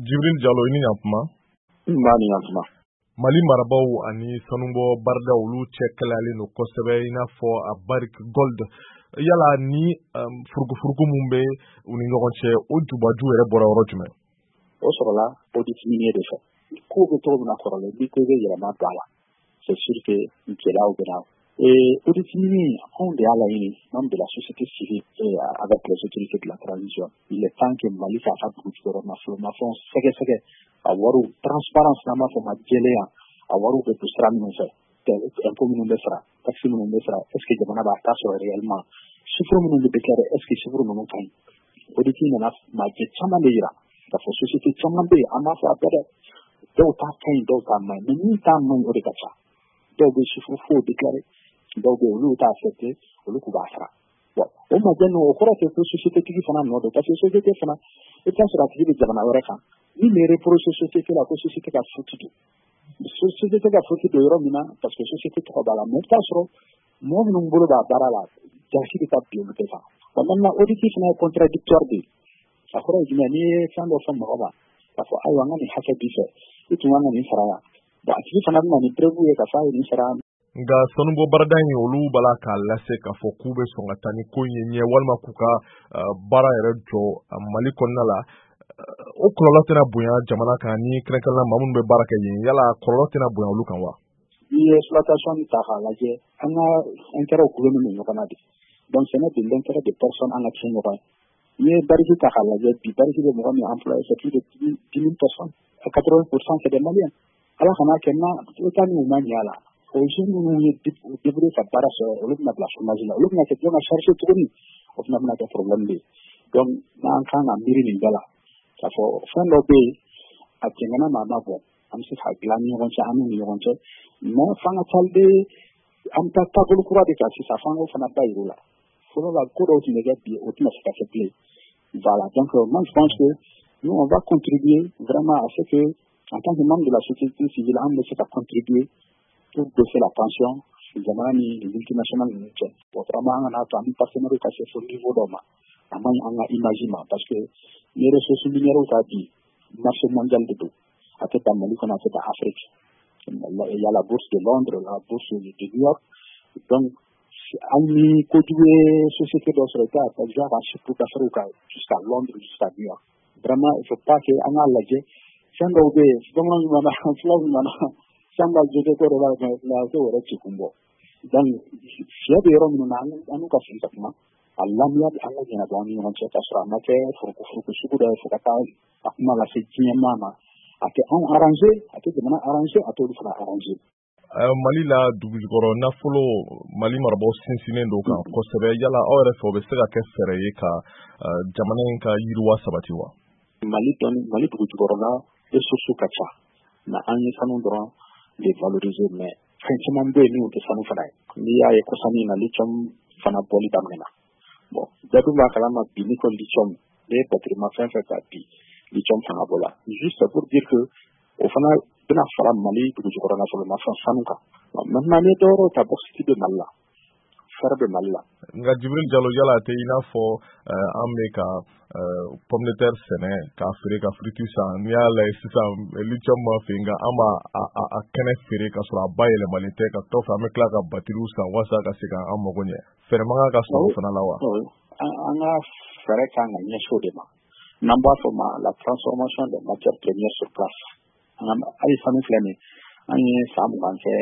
Jibril Jalo, i ni ɲantuma. N b'a ni ɲantuma. Mali marabaw ani sanubɔ barida olu cɛ kɛlɛyalen don kosɛbɛ, i n'a fɔ a Barrick Gold. Yala ni furukufuruku mun bɛ u ni ɲɔgɔn cɛ, o jubaju yɛrɛ bɔra yɔrɔ jumɛn? O sɔrɔla audit minier de fɛ. Ko bɛ cogo min na kɔrɔlen, n'i ko i bɛ yɛlɛma don a la, c'est sûr que gɛlɛyaw bɛ na. Et audit minier, anw de y'a laɲini, membre de la société civile et avec les autorités de la transition. Il est temps que Mali k'a ka dugu jukɔrɔ nafolomafɛnw sɛgɛsɛgɛ, a wariw transparence, n'an b'a fɔ ma jɛlenya, a wariw bɛ don sira minnu fɛ, impôt minnu bɛ sara, taxe minnu bɛ sara, est ce que jamana b'a ta sɔrɔ réellement, chiffre minnu bɛ déclarer, est ce que chiffre ninnu ka ɲi. Audit nana majɛ caman de yira k'a fɔ société caman bɛ yen, an b'a fɔ a bɛɛ dɛ, dɔw ta ka ɲi, dɔw ta man ɲi, mais min ta man ɲi, o de ka ca. Dɔw bɛ chiffre faux déclarer, dɔw bɛ yen, olu t'a accepté, olu k'u b'a sara. Bon, o majɛ ninnu, o kɔrɔ tɛ ko société tigi fana nɔ don, parce que société fana, i bɛ taa sɔrɔ a tigi bɛ jamana wɛrɛ kan. Min bɛ reprocher société la ko société ka faute don, société ka faute don yɔrɔ min na, parce que société tɔgɔ b'a la, mais i bɛ taa sɔrɔ mɔgɔ minnu bolo b'a baara la, jalaki bɛ taa bin olu bɛɛ kan. Bon, maintenant, audit fana ye contradictoire de ye. A kɔrɔ ye jumɛn? N'i ye fɛn dɔ fɔ mɔgɔ ma k'a fɔ ayiwa, n ka nin hakɛ b'i fɛ, i tun kan ka nin sara yan, bon, a tigi fana bɛ na ni preuve ye k'a fɔ a ye nin sara. Nka sanubɔ barada in, olu b'a la k'a lase k'a fɔ k'u bɛ sɔn ka taa ni ko in ye ɲɛ, walima k'u ka baara yɛrɛ jɔ Mali kɔnɔna la. O kɔlɔlɔ tɛna bonya jamana kan, ni kɛrɛnkɛrɛnnenya maa minnu bɛ baara kɛ yen? Yala kɔlɔlɔ tɛna bonya olu kan wa? N'i ye exploitation ta k'a lajɛ, an ka intérêt gulonnen don ɲɔgɔn na de. Donc ce n'est de l'intérêt de personne an ka tiɲɛ ɲɔgɔn ye. N'i ye Barrick ta k'a lajɛ bi, Barrick bɛ mɔgɔ min employé, c'est plus de 10 000 personnes, 80 %, c'est des Maliens. Ala kana kɛ na État ni u ma ɲɛ a la, o jeunes minnu ye débrouiller ka baara sɔrɔ, olu bɛna bila chômage la, olu bɛna kɛ jɔn ka charge tuguni? O fana bɛna kɛ problème de ye. Donc n'an kan ka miiri nin bɛɛ la k'a fɔ fɛn dɔ bɛ yen, a jɛngɛnna ma, a ma bɔn, an bɛ se k'a dilan ni ɲɔgɔn cɛ, an n'u ni ɲɔgɔn cɛ, mais f'an ka taa an bɛ taa taabolo kura de kan sisan, f'an k'o fana da yir'u la. Fɔlɔ la, ko dɔw tun bɛ kɛ, bi o tɛna se ka kɛ bilen. Voilà, donc moi je pense que nous, on va contribuer vraiment à ce que, en tant que membre de la société civile, an bɛ se ka contribuer pour baisser la tension jamana ni les multinationales ninnu cɛ. Bon, vraiment, an kana to an ni partenaires ka se fo niveau dɔ ma, a man ɲi an ka image ma, parce que ni ressources minières ta bi, marché mondial de don, a tɛ dan Mali kɔnɔ, a tɛ dan Afrique. Il y a la bourse de Londres, la bourse de New York. Donc hali ni kojugu ye société dɔ sɔrɔ, i t'a ka ka chiffre d'affaires kan jusqu'à Londres, jusqu'à New York. Vraiment, il faut pas que an k'a lajɛ fɛn dɔw bɛ yen, bamananw ɲuman, fulaw ɲuman, san ka jɛgɛ ko dɔ b'a la, mais a t'o yɛrɛ ci kun bɔ. Donc fiɲɛ bɛ yɔrɔ minnu na, an n'u ka sigi ka kuma a lamiya, an ka ɲɛnabɔ an ni ɲɔgɔn cɛ, k'a sɔrɔ a ma kɛ furuku sugu dɔ ye fo ka taa a kuma lase diɲɛ maa ma. A tɛ anw arranger, a tɛ jamana arranger, a t'olu fana arranger. Mali la dugujukɔrɔ nafolo, Mali marabaw sinsinnen don kan kosɛbɛ. Yala aw yɛrɛ fɛ, o bɛ se ka kɛ fɛɛrɛ ye ka jamana in ka yiriwa sabati wa? Mali dɔnni, Mali dugujukɔrɔla ressources ka ca, mais an ye sanu dɔrɔn de valoriser, mais fɛn caman bɛ yen minnu tɛ sanu fana ye. N'i y'a ye kɔsani na, lithium fana bɔli daminɛna. Bon, bɛɛ dun b'a kalama bi, n'i ko lithium, n'i ye batterie ma fɛn fɛn ta bi, lithium fanga b'o la. Juste pour dire que o fana bɛna fara Mali dugujukɔrɔ nafolomafɛn sanu kan. Maintenant, n'i ye dɔwɛrɛw ta, bauxite bɛ Mali la, fer bɛ Mali la. Nka Jibril Jalo, yala a tɛ i n'a fɔ an bɛ ka pomme de terre sɛnɛ k'a feere ka frites san? N'i y'a lajɛ sisan, lithium ma fɛ, nka an b'a a kɛnɛ feere ka sɔrɔ a bayɛlɛmalen tɛ, ka kɔfɛ an bɛ tila ka batterie san walasa ka se k'an mago ɲɛ. Fɛɛrɛ man kan ka sɔrɔ o fana la wa? An ka fɛɛrɛ kan ka ɲɛsin o de ma, n'an b'a fɔ ma la transformation des matières premières sur place. An ka hali sanu filɛ nin, an ye san 20 kɛ,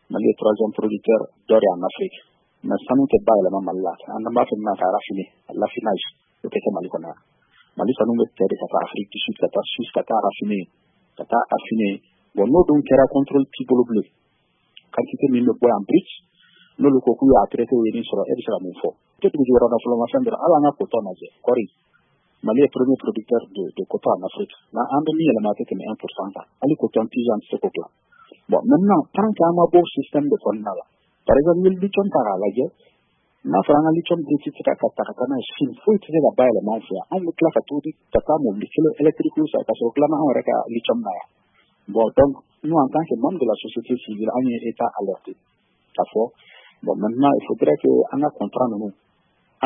Mali ye troisième producteur d'or en Afrique, mais sanu tɛ bayɛlɛma Mali la. An b'a fɔ min ma ka raffiner, l'affinage, o tɛ kɛ Mali kɔnɔ yan. Mali sanu bɛ cɛ de ka taa Afrique du Sud, ka taa Suisse, ka taa raffiner, ka taa affiner. Bon, n'o dun kɛra, contrôle t'i bolo bilen. Quantité min bɛ bɔ yan brut, n'olu ko k'u y'a traité, u ye nin sɔrɔ, e bɛ se ka mun fɔ? Tɛ dugu jukɔrɔ nafolomafɛn dɔrɔn, hali an ka coton lajɛ, kɔɔri. Mali est premier producteur de coton en Afrique. Mais an bɛ min yɛlɛma, a tɛ tɛmɛ 1 % kan. Hali coton tige, an tɛ se k'o dilan. Bon, maintenant, tant qu'an ma bɔ système de kɔnɔna la, par exemple, n'i ye lithium ta k'a lajɛ, n'a fɔra an ka lithium brut tɛ se ka ta ka taa n'a ye Chine, foyi tɛ se ka bayɛlɛma an fɛ yan. Anw bɛ tila ka to ka taa mobili kelen électrique san ka sɔrɔ dilanna anw yɛrɛ ka lithium na yan. Bon, donc nous, en tant que membre de la société civile, an ye État alerté k'a fɔ bon, maintenant, il faudrait que an ka contrat ninnu,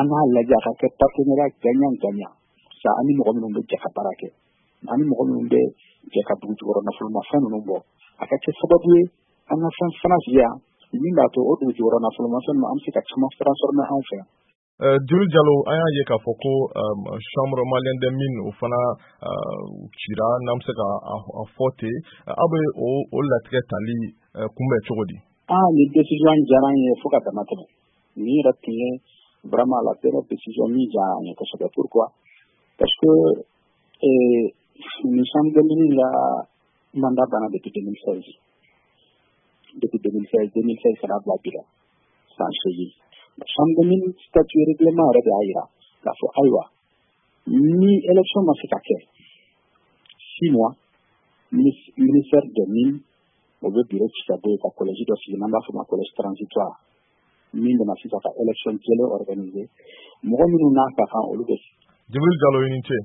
an k'a lajɛ a ka kɛ partenariat gagnant gagnant sa, an ni mɔgɔ minnu bɛ jɛ ka baara kɛ. Ani mɔgɔ minnu bɛ jɛ ka dugu jukɔrɔ nafolomafɛn ninnu bɔ, a ka kɛ sababu ye an ka fɛn fana sigi yan min b'a to o dugu jukɔrɔ nafolomafɛn ninnu, an bɛ se ka caman transformer anw fɛ yan. Djibril Diallo, an y'a ye k'a fɔ ko Chambre malienne des mines, o fana cira, n'an bɛ se ka a fɔ ten. Aw bɛ o latigɛ tali kunbɛn cogo di? Ah, nin décision diyara an ye fo ka dama tɛmɛ. Nin yɛrɛ tun ye vraiment la dernière décision min diyara an ye kosɛbɛ. Pourquoi? Parce que nin chambre des mines la mandat banna depuis 2016, depuis 2016, 2016 ka n'a bila bi la, san 8. Chambre des mines statut, règlement yɛrɛ de y'a yira k'a fɔ ayiwa, ni élection ma se ka kɛ 6 mois, ministère des Mines, o bɛ bureau ci ka bɔ yen ka collège dɔ sigi, n'an b'a fɔ o ma collège transitoire, min bɛna sisan ka élection jɛlen organiser, mɔgɔ minnu n'a ka kan, olu bɛ. Djibril Diallo, i ni ce.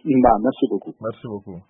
Nba, merci beaucoup. Merci beaucoup.